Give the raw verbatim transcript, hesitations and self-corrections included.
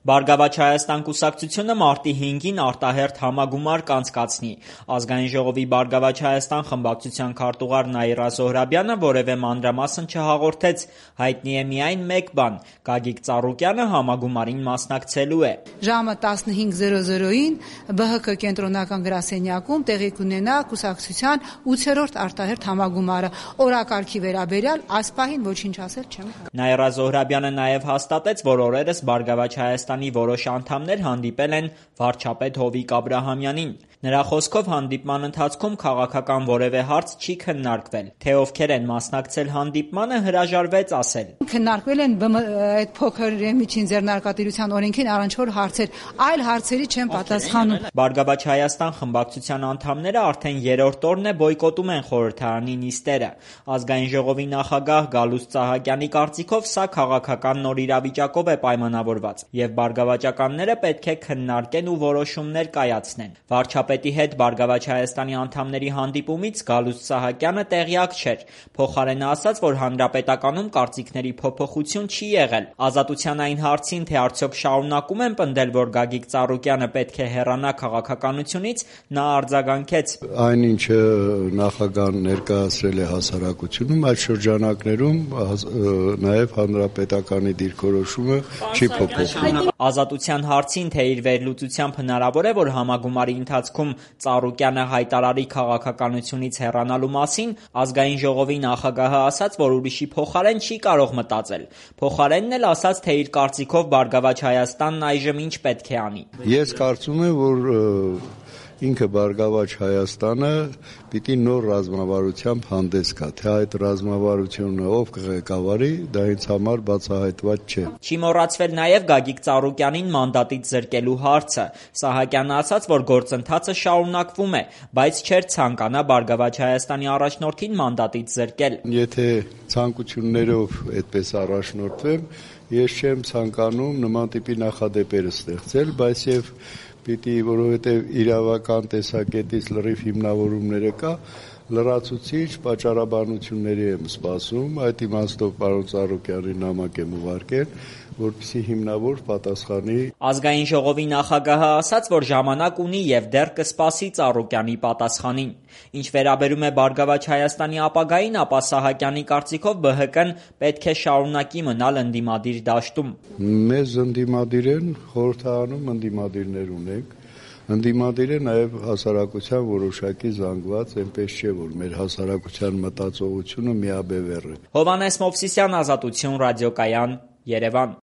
Բարգավաճ Հայաստան կուսակցությունը մարտի հինգին արտահերթ համագումար կանցկացնի։ Ազգային ժողովի Բարգավաճ Հայաստան խմբակցության քարտուղար Նաիրա Զոհրաբյանը որևէ մանրամասն չհաղորդեց, հայտնի է միայն մեկ բան՝ Գագիկ Ծառուկյանը համագումարին մասնակցելու է։ Ժամը տասնհինգ ին Բ Հ Կ կենտրոնական գրասենյակում տեղի կունենա կուսակցության ութերորդ արտահերթ համագումարը։ Օրակարգի վերաբերյալ այս պահին ոչինչ ասել չեմ կարող։ Նաիրա Զոհրաբյանը նաև հաստատեց, որ օրերս Բարգավաճ Հայաստանի որոշ անդամներ հանդիպել են վարչապետ Հովիկ Աբրահամյանին։ Նրա խոսքով հանդիպման ընթացքում քաղաքական որևէ հարց չի քննարկվել։ Թե ովքեր են մասնակցել հանդիպմանը, հրաժարվեց ասել։ Քննարկվել են այդ փոքր եւ միջին ձեռնարկատիրության օրենքին առնչվող հարցեր, այլ հարցերի չեն պատասխանում։ Բարգավաճ Հայաստան խմբակցության անդամները արդեն երրորդ օրն է բոյկոտում են խորհրդարանի նիստերը։ Ազգային ժողովի նախագահ Գալուստ Սահակյանի կարծիքով սա քաղաքական նոր իրավիճակով է պայմանավորված, եւ բարգավաճականները պետք է քննարկեն ու որոշումներ կայացնեն։ Վարչապետի հետ Բարգավաճ Հայաստանի անդամների հանդիպումից Գալուստ Սահակյանը տեղյակ չէր, փոխարենը ասաց, որ հանրապետականում կարծիքների փոփոխություն չի եղել։ Ազատության այն հարցին, թե արդյոք շարունակում են պնդել, որ Գագիկ Ծառուկյանը պետք է հեռանա քաղաքականությունից, նա արձագանքեց. Այնինչը նախագահան ներկայացրել է հասարակությունում, այդ շրջանակներում նաև հանրապետականի դիրքորոշումը չի փոփոխվում։ Ազատության հարցին, թե իր վերլուծությամբ հնարավոր է, որ համագումարի ընթացքում Ծառուկյանը հայտարարի քաղաքականությունից հեռանալու մասին, Ազգային ժողովի նախագահը ասաց, որ ուրիշի փոխարեն չի կարող մտածել։ Փոխարենն էլ ասաց, թե իր կարծիքով Բարգավաճ Հայաստանն այժմ ինչ պետք է անի։ Ես կարծում եմ, որ ինքը Բարգավաճ Հայաստանը պիտի նոր ռազմավարությամբ հանդես գա, թե այդ ռազմավարությունը ով կղեկավարի, դա ինձ համար բացահայտված չէ։ Չի մոռացվել նաև Գագիկ Ծառուկյանին մանդատից զրկելու հարցը։ Սահակյանը ասաց, որ գործընթացը շարունակվում է, բայց չէր ցանկանա Բարգավաճ Հայաստանի առաջնորդին մանդատից զրկել։ Եթե ցանկություններով այդպես առաջնորդվեմ, ես չեմ ցանկանում նման տիպի նախադեպեր ստեղծել, բայց եւ պիտի, որովհետև իրավական տեսակետից լրիվ հիմնավորումները կա, լրացուցիչ պատճառաբանությունների եմ սպասում, այդ իմաստով պարոն Ծառուկյանին նամակ եմ ուղարկել, որպեսզի հիմնավոր պատասխանի։ Ազգային ժողովի նախագահը ասաց, որ ժամանակ ունի եւ դեռ կսպասի Ծառուկյանի պատասխանին։ Ինչ վերաբերում է Բարգավաճ Հայաստանի ապագային, ապա Սահակյանի կարծիքով Բ Հ Կ-ն պետք է շարունակի մնալ ընդդիմադիր դաշտում։ Մեզ ընդդիմադիր են, խորհրդարանում ընդդիմադիրներ ունենք։ Ընդդիմադիր է նաև հասարակության որոշակի զանգված, այնպես չէ, որ մեր հասարակության մտածողությունը միաբևեռ է։ Հովհաննես Մովսիսյան, Ազատություն, Ռադիոկայան, Երևան։